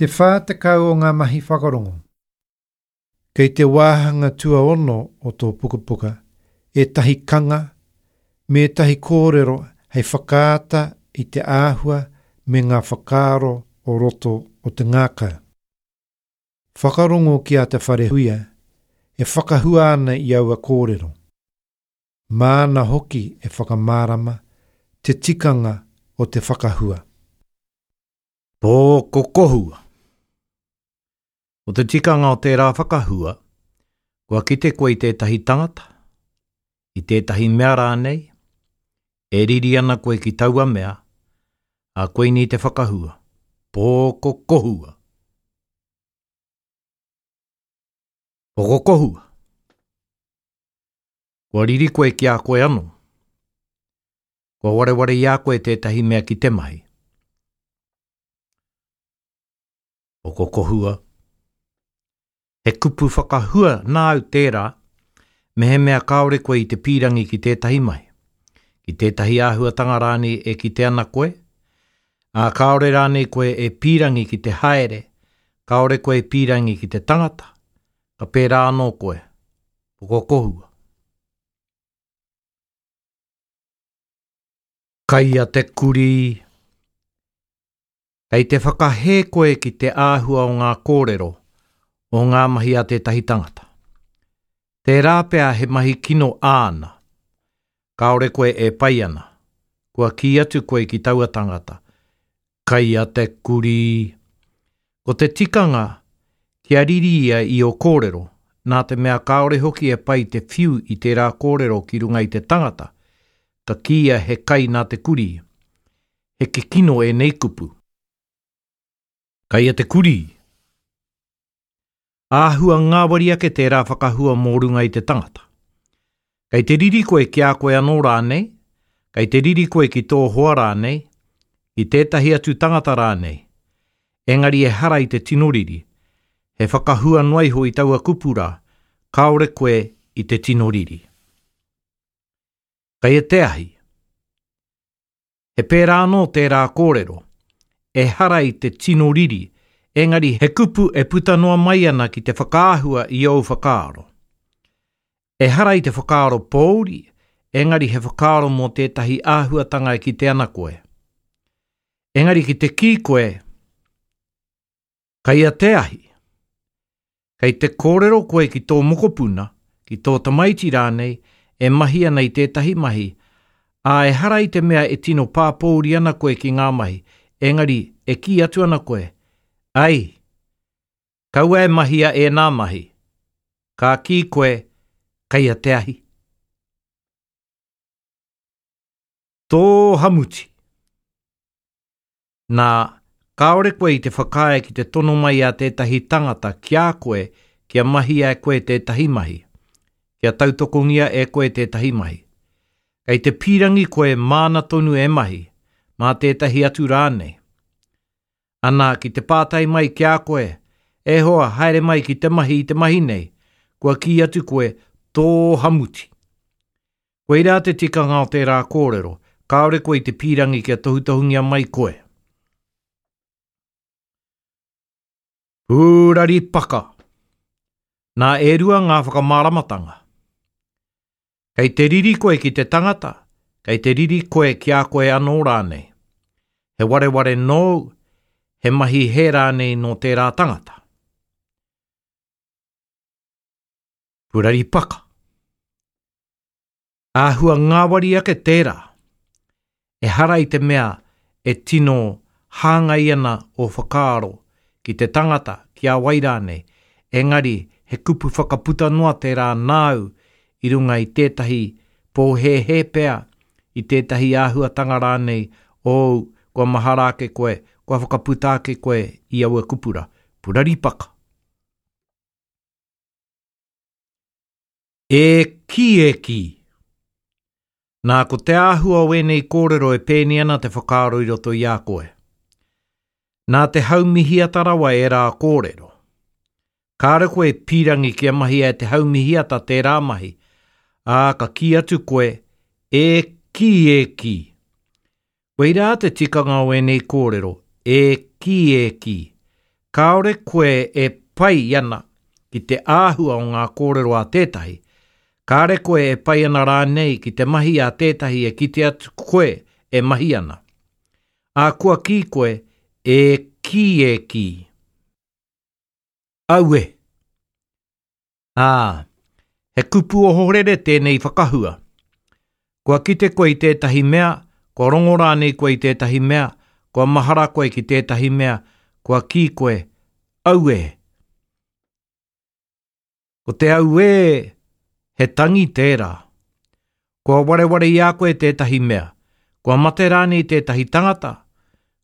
Te 40 o ngā mahi whakarongo. Kei te wāhanga tuaono o tō pukapuka ētahi kanga me ētahi kōrero hei whakaata i te āhua me ngā whakaaro o roto o te ngākau. Whakarongo ki a Te Wharehuia e whakahua ana i aua kōrero. Māna hoki e whakamārama te tikanga o te whakahua. Pōkokohua. Ko te tikanga o tērā whakahua, kua kite koe i tētahi tangata, i tētahi mea rānei, e riri ana koe ki taua mea, ā, koinei te whakahua, pōkokohua. Pokokohua. Kua riri koe ki a koe anō. Kua wareware i a koe tētahi mea ki te mahi. Pokokohua. He kupu whakahua nāu tērā, mehemea kāore koe i te pīrangi ki tētahi mahi, ki tētahi āhuatanga rānei e kite ana koe, ā, kāore rānei koe e pīrangi ki te haere, kāore koe e pīrangi ki te tangata, ka pērā anō koe. Pokokohua. Kai a te kurī. Kei te whakahē koe ki te āhua o ngā kōrero, o ngā mahi a tētahi tangata. Tērā pea he mahi kino āna. Kāore koe e pai ana. Kua kī atu koe ki taua tangata, Kai a te kurī. Ko te tikanga, kia riri ia i ō kōrero, nā te mea kāore hoki e pai te whiu i tērā kōrero ki runga i te tangata, ka kīia he kai nā te kurī. He kikino ēnei kupu. Kai a te kurī. Āhua ngāwari ake tērā whakahua mō runga i te tangata. Kei te riri koe ki a koe anō rānei, kei te riri koe ki tō hoa rānei, ki tētahi atu tangata rānei. Engari ehara i te tino riri. He whakahua noa iho i taua kupu rā, kāore koe i te tino riri. Kei a te ahi. He pērā anō tērā kōrero, ehara i te tino riri, engari he kupu e puta noa mai ana ki te whakaahua i ōu whakaaro. Ehara i te whakaaro pōuri, engari he whakaaro mō tētahi āhuatanga e kite ana koe. Engari ki te kī koe, Kai a te ahi. Kei te kōrero koe ki tō mokopuna, ki tō tamaiti rānei e mahi ana i tētahi mahi, ā, ehara i te mea e tino pāpōuri ana koe ki ngā mahi, engari e kī atu ana koe, Ai! Kaua e mahia ēnā mahi. Ka kī koe, Kei a te ahi. Tō hamuti. Nā, kāore koe i te whakaae ki te tono mai a tētahi tangata ki a koe kia mahia e koe tētahi mahi, kia tautokongia e koe tētahi mahi. Kei te pīrangi koe māna tonu e mahi, mā tētahi atu rānei. Ana, ki te pātai mai ki a koe, E hoa, haere mai ki te mahi i te mahi nei, kua kī atu koe, Tō hamuti. Koirā te tikanga o tērā kōrero, kāore koe i te pīrangi kia tohutohungia mai koe. Pūrari paka. Nā e rua ngā whakamāramatanga. Kei te riri koe ki te tangata, kei te riri koe ki a koe anō rānei. He wareware nōu, he mahi hē rānei nō tērā tangata. Purari paka. Āhua ngāwari ake tērā. Ehara i te mea e tino hāngai ana ō whakaaro ki te tangata, ki a wai rānei, engari he kupu whakaputa noa tērā nāu i runga i tētahi pōhēhē pea, i tētahi āhuatanga rānei ōu kua mahara ake koe, kua whakaputa ake koe i aua kupu rā. Purari paka. E kī, e kī! Nā, ko te āhua o ēnei kōrero e pēni ana te whakaaro i roto i a koe. Nā te haumihiata rawa ērā kōrero. Kāre koe e pīrangi kia mahia e te haumihiata tērā mahi, ā, ka kī atu koe, E kī, e kī! Koirā te tikanga o ēnei kōrero, e kī, e kī! Kāore koe e pai ana ki te āhua o ngā kōrero a tētahi, kāre koe e pai ana rānei ki te mahi a tētahi e kite atu koe e mahi ana. Ā, kua kī koe, E kī, e kī. Aue! Ā, he kupu ohorere tēnei whakahua. Kua kite koe i tētahi mea, kua rongo rānei koe i tētahi mea, kua mahara koe ki tētahi mea, kua kī koe, Auē! Ko te auē, he tangi tērā. Kua wareware i a koe tētahi mea, kua mate rānei tētahi tangata,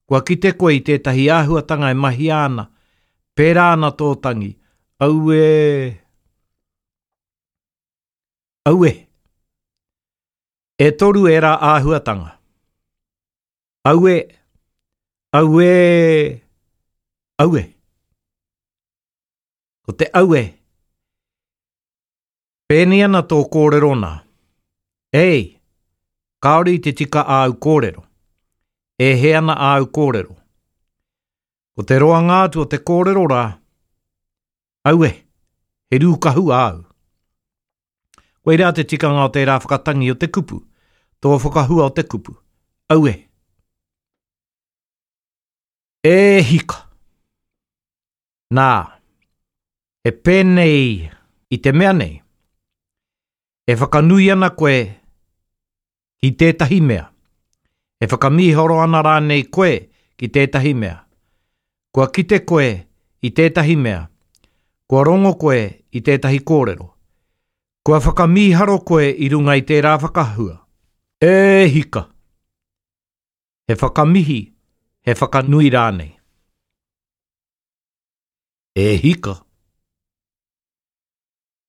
kua kite koe i tētahi āhuatanga e mahia ana, pērā ana tō tangi, auē! Auē! E toru ērā āhuatanga. Auē! Auē! Auē! Ko te auē, Pēnei ana tō kōrero nā. Ei! Kāore i te tika āu kōrero. E hē ana āu kōrero. Ko te roanga atu o te kōrero rā, Aue, he rūkahu āu. Koirā te tikanga o tērā whakatangi o te kupu, tō whakahua o te kupu. Aue! E hika! Nā, he pēnei i te mea nei, e whakanui ana koe ki tētahi mea, e whakamīharo ana rānei koe ki tētahi mea, kua kite koe i tētahi mea, kua rongo koe i tētahi kōrero, kua whakamīharo koe i runga i tērā whakahua. E hika! He whakamihi, he whakanui rānei. E hika!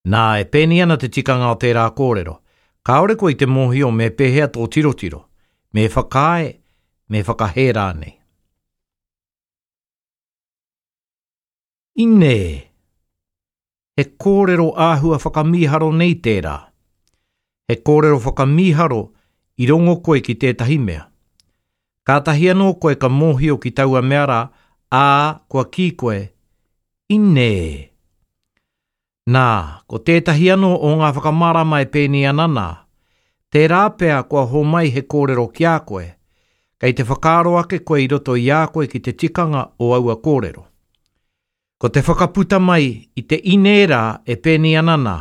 Nā, e pēnei ana te tikanga o tērā kōrero, kāore koe i te mōhio me pēhea tō tirotiro, me whakaae, me whakahē rānei. Inē! He kōrero āhua whakamīharo nei tērā. He kōrero whakamīharo i rongo koe ki tētahi mea. Kātahi anō koe ka mōhio ki taua mea rā, ā, kua kī koe, Inē! Nā, ko tētahi anō o ngā whakamārama e pēnei ana nā, Tērā pea kua homai he kōrero ki a koe, kei te whakaaro ake koe i roto i a koe ki te tikanga o aua kōrero. Ko te whakaputa mai i te ine rā e pēnei ana nā,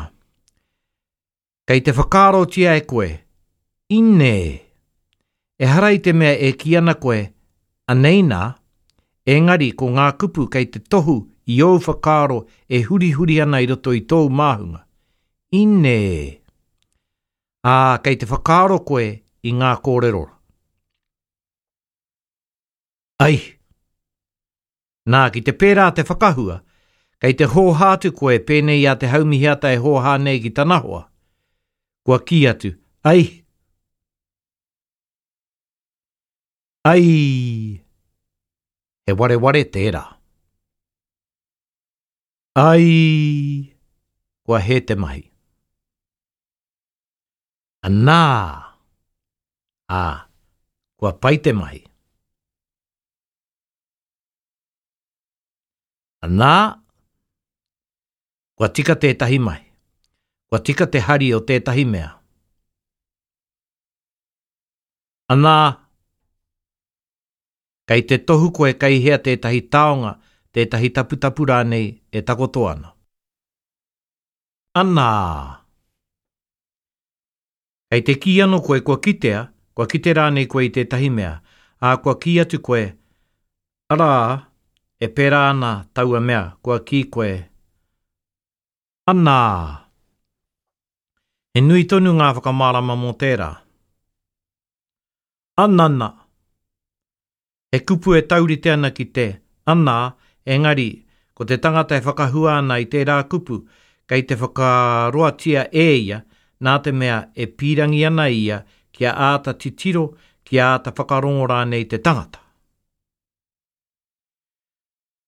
Kei te whakaarotia e koe, ine! Ehara i te mea e kī ana koe, anei nā, engari ko ngā kupu kei te tohu i ōu whakaaro e hurihuri ana i roto i tōu māhunga. Ine! Ā, kei te whakaaro koe i ngā kōrero. Ai! Nā, ki te pērā te whakahua, kei te hōhā atu koe pēnei i a Te Haumihiata e hōhā nei ki tana hoa. Kua kī atu, Ai! Ai! He wareware tērā. Ai! Kua hē te mahi. Anā! Ā, kua pai te mahi. Anā, kua tika tētahi mahi. Kua tika te hari o tētahi mea. Anā, kei te tohu koe kei hea tētahi taonga, tētahi taputapu rānei e takoto ana. Anā! Kei te kī anō koe kua kitea, kua kite rānei koe i tētahi mea, ā, kua kī atu koe, arā, e pērā ana taua mea, kua kī koe, Anā! He nui tonu ngā whakamārama mō tērā. Anana! He kupu e taurite ana ki te, ana, engari, ko te tangata e whakahua ana i tērā kupu, kei te whakaroatia e ia, nā te mea e pīrangi ana ia kia āta titiro, kia āta whakarongo rānei te tangata.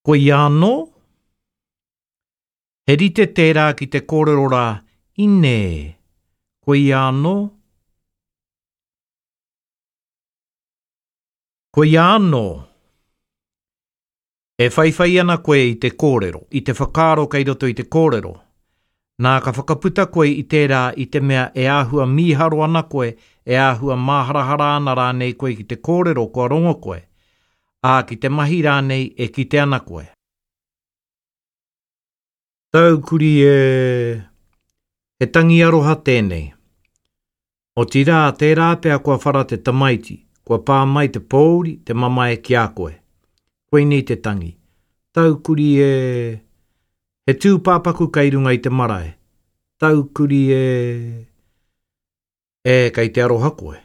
Koia anō? He rite tērā ki te kōrero rā, Inē! Koia anō? Koia anō. E whaiwhai ana koe i te kōrero, i te whakaaro kei roto i te kōrero. Nā, ka whakaputa koe i tērā i te mea e āhua mīharo ana koe, e āhua māharahara ana rānei koe ki te kōrero kua rongo koe, ā, ki te mahi rānei e kite ana koe. Taukuri e! He tangi aroha tēnei. Otirā, tērā pea kua whara te tamaiti, kua pā mai te pōuri, te mamae ki a koe. Koinei te tangi. Taukuri e! He tūpāpaku kei runga i te marae. Taukuri e! E, kei te aroha koe.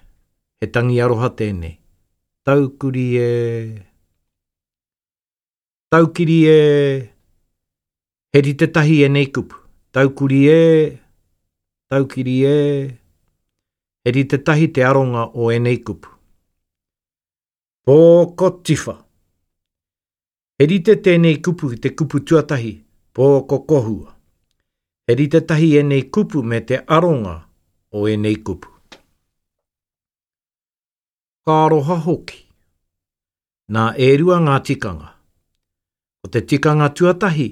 He tangi aroha tēnei. Taukuri e! Taukiri e! He rite tahi ēnei kupu. Taukuri e! Taukiri e! He rite tahi te aronga o ēnei kupu. Pōkotiwha. He rite tēnei kupu ki te kupu tuatahi, pōkokohua. He rite tahi ēnei kupu me te aronga o ēnei kupu. Ka aroha hoki. Nā, e rua ngā tikanga. Ko te tikanga tuatahi,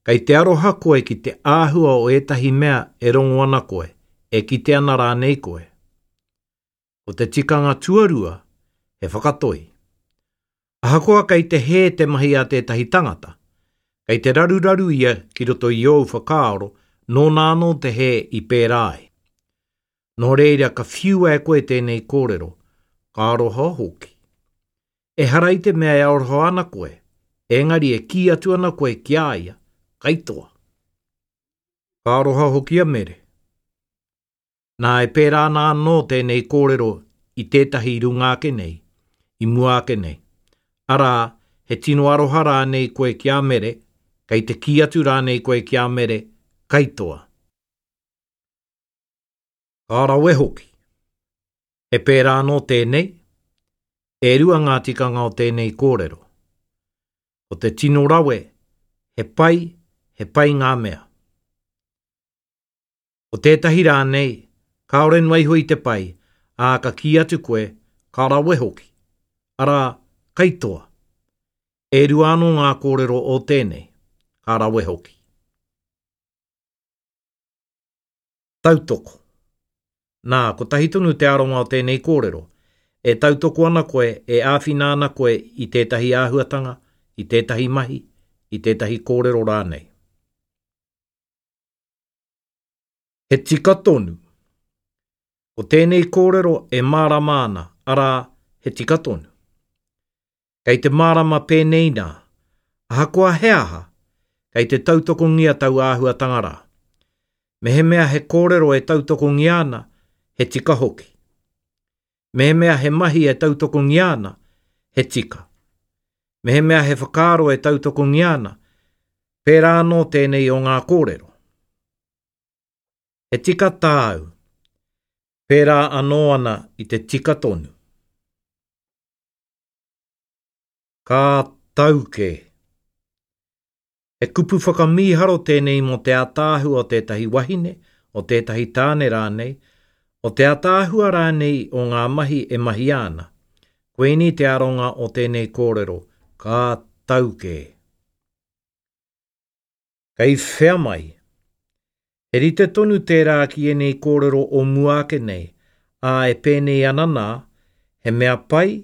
kei te aroha koe ki te āhua o ētahi mea e rongo ana koe, e kite ana rānei koe. Ko te tikanga tuarua, he whakatoi. Ahakoa kei te hē te mahi a tētahi tangata, kei te raruraru ia ki roto i ōu whakaaro nōna anō te hē i pērā ai. Nō reira ka whiua e koe tēnei kōrero, ka aroha hoki. Ehara i te mea e aroha ana koe, engari e kī atu ana koe ki a ia, kaitoa. Ka aroha hoki a Mere. Nā, e pērā ana anō tēnei kōrero i tētahi i runga ake nei, i mua ake nei. Arā, he tino aroha rānei koe ki a Mere, kei te kī atu rānei koe ki a Mere, kaitoa. Ka rawe hoki. He pērā anō tēnei, e rua ngā tikanga o tēnei kōrero. Ko te tino rawe, he pai, he pai ngā mea. Ko tētahi rānei, kāore noa iho i te pai, ā, ka kī atu koe, ka rawe hoki. Arā, kaitoa. E rua anō ngā kōrero o tēnei, ka rawe hoki. Tautoko. Nā, kotahi tonu te aronga o tēnei kōrero. E tautoko ana koe, e āwhina ana koe i tētahi āhuatanga, i tētahi mahi, i tētahi kōrero rānei. He tika tonu. Ko tēnei kōrero e mārama ana, arā, he tika tonu. Kei te mārama pēnei nā, ahakoa he aha, kei te tautokongia taua āhuatanga rā. Mehemea he kōrero e tautokongia ana, he tika hoki. Mehemea he mahi e tautokongia ana, he tika. Mehemea he whakaaro e tautokongia ana, pērā anō tēnei o ngā kōrero. He tika tāu, pērā anō ana i te tika tonu. Ka tau kē. He kupu whakamīharo tēnei mō te ātaahua o tētahi wahine, o tētahi tāne rānei, o te ātaahua rānei o ngā mahi e mahia ana. Koinei te aronga o tēnei kōrero, ka tau kē. Kei whea mai? He rite tonu tērā ki ēnei kōrero o mua ake nei, ā, e pēnei ana nā, he mea pai,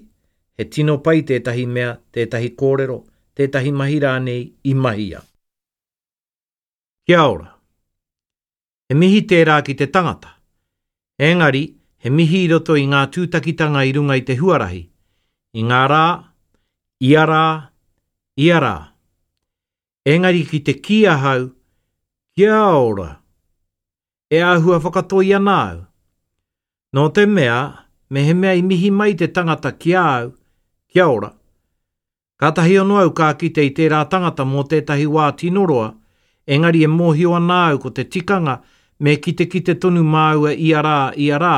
he tino pai tētahi mea, tētahi kōrero, tētahi mahi rānei i mahia. Kia ora. He mihi tērā ki te tangata. Engari, he mihi i roto i ngā tūtakitanga i runga i te huarahi, i ngā rā, ia rā, ia rā. Engari ki te kī ahau, Kia ora! E āhua whakatoi ana au. Nō te mea, mehemea i mihi mai te tangata ki a au, Kia ora! Kātahi anō au ka kite i tērā tangata mō tētahi wā tino roa, engari e mōhio ana au ko te tikanga me kitekite tonu māua ia rā, ia rā,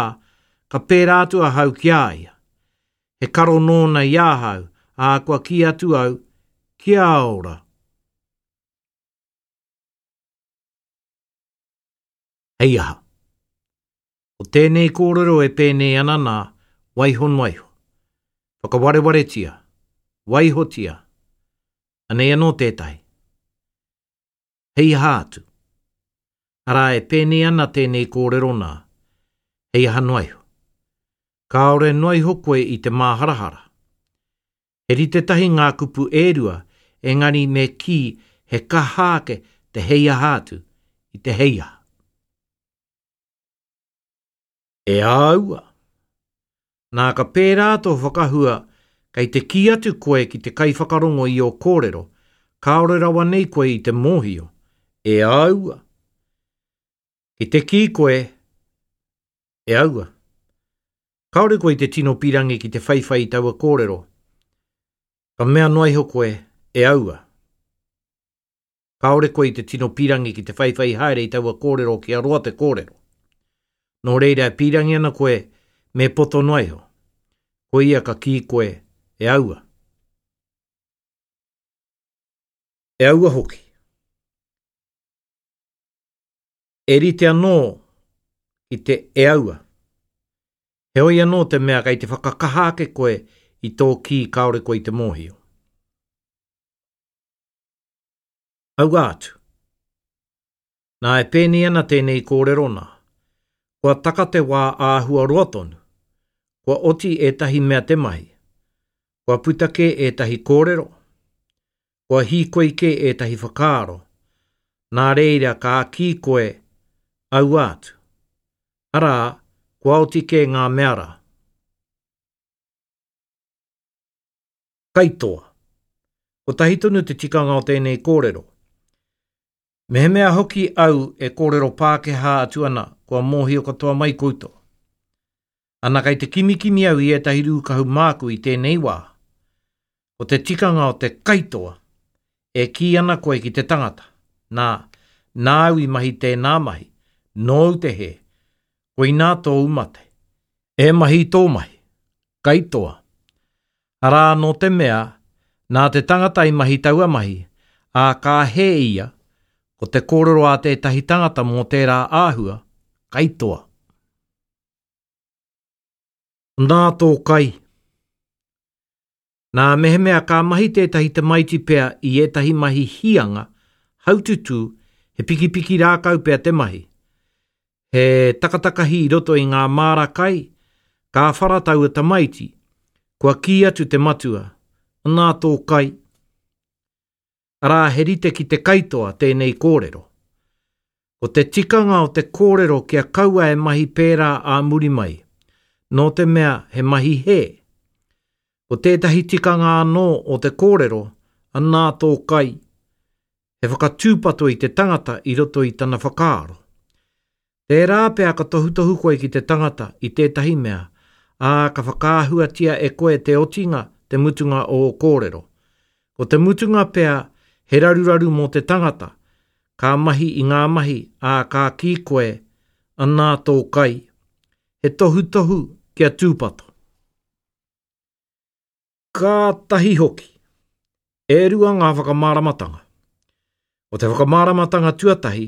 ka pērā atu ahau ki a ia. He karo nōna i ahau, ā, kua kī atu au, Kia ora! Hei aha? Ko tēnei kōrero e pēnei ana nā, waiho noa iho. Whakawarewaretia. Waihotia. Anei anō tētahi. Hei aha atu? Arā, e pēnei ana tēnei kōrero nā, hei aha noa iho. Kāore noa iho koe i te māharahara. He rite tahi ngā kupu e rua, engari me kī he kaha ake te hei aha atu i te hei aha. E āua! Nā ka pērā tō whakahua kei te kī atu koe ki te kaiwhakarongo i ō kōrero, kāore rawa nei koe i te mōhio. E āua! Ki te kī koe, E aua! Kāore koe i te tino pīrangi ki te whaiwhai i taua kōrero. Ka mea noa iho koe, E aua! Kāore koe i te tino pīrangi ki te whaiwhai haere i taua kōrero kia roa te kōrero. Nō reira e pīrangi ana koe me poto noa iho. Koia ka kī koe, e aua. E aua hoki. E rite anō ki te e aua. Heoi anō te mea kei te whakakaha ake koe i tō kī kāore koe i te mōhio. Aua atu. Nā e pēnei ana tēnei kōrero nā. Kua taka te wā āhua roa tonu. Kua oti ētahi mea te mahi. Kua puta kē ētahi kōrero. Kua hīkoi kē ētahi whakaaro. Nā reira ka kī koe, aua atu. Arā, kua oti kē ngā mea rā. Kaitoa. Kotahi tonu te tikanga o tēnei kōrero. Mehemea hoki au e kōrero Pākehā atu ana, kua mōhio katoa mai koutou. Ana kei te kimikimi au i ētahi rūkahu māku i tēnei wā. Ko te tikanga o te kaitoa, e kī ana koe ki te tangata, nā, nāu i mahi tēnā mahi, nōu te hē, koinā tōu mate. E mahi tō mahi. Kaitoa. Arā nō te mea, nā te tangata i mahi taua mahi, ā, ka hē ia, ko te kōrero a tētahi tangata mō tērā āhua, kaitoa. Nā tō kai. Nā, mehemea ka mahi tētahi tamaiti pea i ētahi mahi hīanga, haututū, he pikipiki rākau pea te mahi, he takatakahi i roto i ngā māra kai, ka whara taua tamaiti, kua kī atu te matua, Nā tō kai. Arā, he rite ki te kaitoa tēnei kōrero. Ko te tikanga o te kōrero kia kaua e mahi pērā ā muri mai, nō te mea he mahi hē. Ko tētahi tikanga anō o te kōrero, anā tō kai, he whakatūpato i te tangata i roto i tana whakaaro. Tērā pea ka tohutohu koe ki te tangata i tētahi mea, ā, ka whakaahuatia e koe te otinga, te mutunga o ō kōrero. Ko te mutunga pea he raruraru mō te tangata, ka mahi i ngā mahi, ā, ka kī koe, anā tō kai. He tohutohu kia tūpato. Kātahi hoki, e rua ngā whakamāramatanga. Ko te whakamāramatanga tuatahi,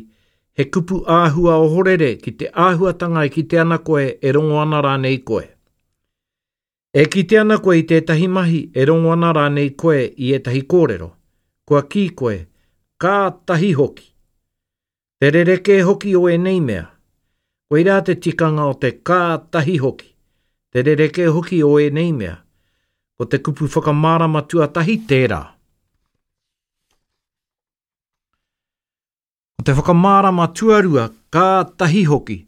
he kupu āhua ohorere ki te āhuatanga e kite ana koe e rongo ana rānei koe. E kite ana koe i tētahi mahi, e rongo ana rānei koe i ētahi kōrero, kua kī koe, kātahi hoki! Te rerekē hoki o ēnei mea. Koirā te tikanga o te kātahi hoki, te rerekē hoki o ēnei mea. Ko te kupu whakamārama tuatahi tērā. Ko te whakamārama tuarua kātahi hoki,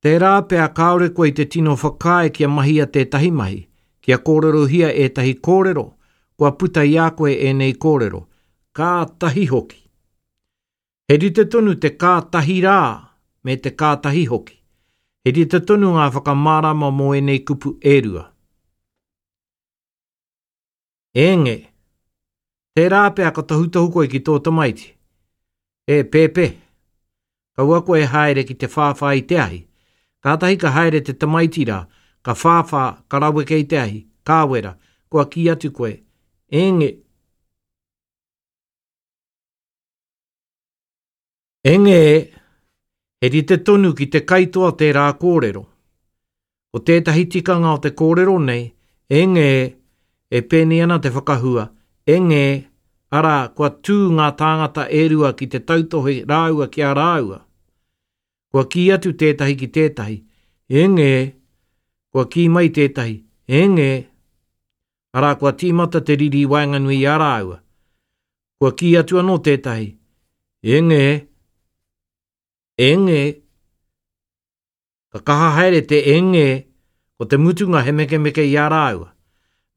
tērā pea kāore koe i te tino whakaae kia mahia tētahi mahi, kia kōrerohia ētahi kōrero, kua puta i a koe ēnei kōrero, kātahi hoki. He rite tonu te kātahi rā me te kātahi hoki. He rite tonu ngā whakamārama mō ēnei kupu e rua. Enge, tērā pea ka tohutohu koe ki tō tamaiti. E, pēpē, kaua koe e haere ki te whāwhā i te ahi. Kātahi ka haere te tamaiti rā, ka whāwhā, ka raweke i te ahi, ka wera, kua kī atu koe, Enge, Enge, he rite tonu ki te kaitoa tērā kōrero. Ko tētahi tikanga o te kōrero nei, enge, e pēnei ana te whakahua, enge, Arā, kua tū ngā tāngata e rua ki te tautohe rāua ki a rāua. Kua kī atu tētahi ki tētahi, E ngē! Kua kī mai tētahi, E ngē! Arā, kua tīmata te riri i waenganui i a rāua. Kua kī atu anō tētahi, E ngē! E ngē! Ka kaha haere te e ngē, ko te mutunga he mekemeke i a rāua.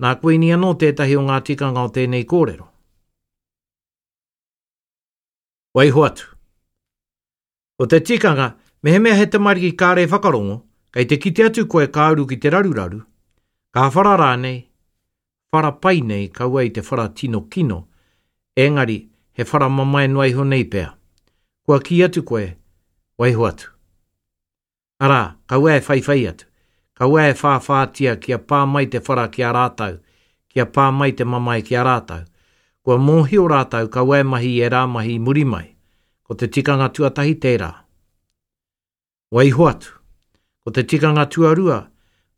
Nā Kuini anō tētahi o ngā tikanga o tēnei kōrero. Waiho atu. Ko te tikanga, mehemea he tamariki kāre whakarongo, kei te kite atu koe ka uru ki te raruraru, ka whara rānei, whara pai nei kaua i te whara tino kino, engari he whara mamae noa iho nei pea. Kua kī atu koe, waiho atu. Arā, kaua e whaiwhai atu, kaua e whāwhātia kia pā mai te whara ki a rātou, kia pā mai te mamae ki a rātou. Kua mōhio rātou kaua e mahi i ērā mahi i muri mai. Ko te tikanga tuatahi tērā. Waiho atu. Ko te tikanga tuarua,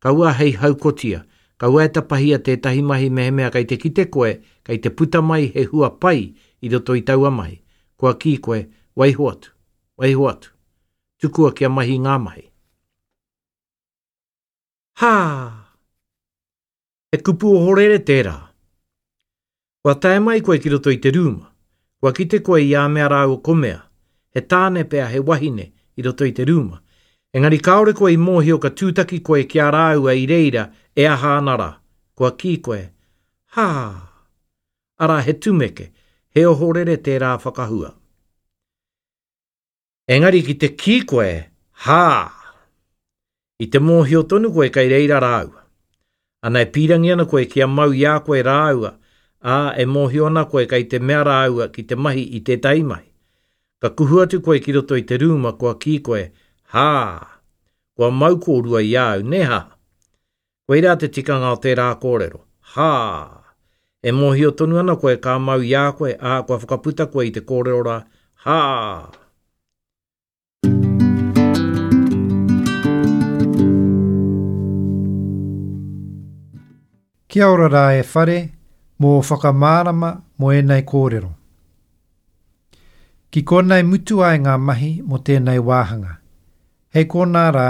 kaua hei haukotia, kaua e tapahia tētahi mahi mehemea kei te kite koe kei te puta mai he hua pai i roto i taua mahi. Kua kī koe, waiho atu, waiho atu. Tukua kia mahi ngā mahi. Hā! He kupu ohorere tērā. Kua tae mai koe ki roto i te rūma. Kua kite koe i a mea rāua ko mea. He tāne pea, he wahine, i roto i te rūma. Engari kāore koe i mōhio ka tūtaki koe ki a rāua i reira e aha ana rā. Kua kī koe, Hā! Arā, he tumeke, he ohorere tērā whakahua. Engari ki te kī koe, hā! I te mōhio tonu koe kei reira rāua. Ana e pīrangi ana koe kia mau i a koe rāua, ā, e mōhio ana koe kei te mea rāua ki te mahi i tētahi mahi. Ka kuhu atu koe ki roto i te rūma kua kī koe, hā! Kua mau kōrua i a au, nē hā? Koirā te tikanga o tērā kōrero, hā! E mōhio tonu ana koe ka mau i a koe, ā, kua whakaputa koe i te kōrero rā, hā! Kia ora rā e Whare mō ō whakamārama mō ēnei kōrero. Ki konei mutu ai ngā mahi mō tēnei wāhanga. Hei konā rā.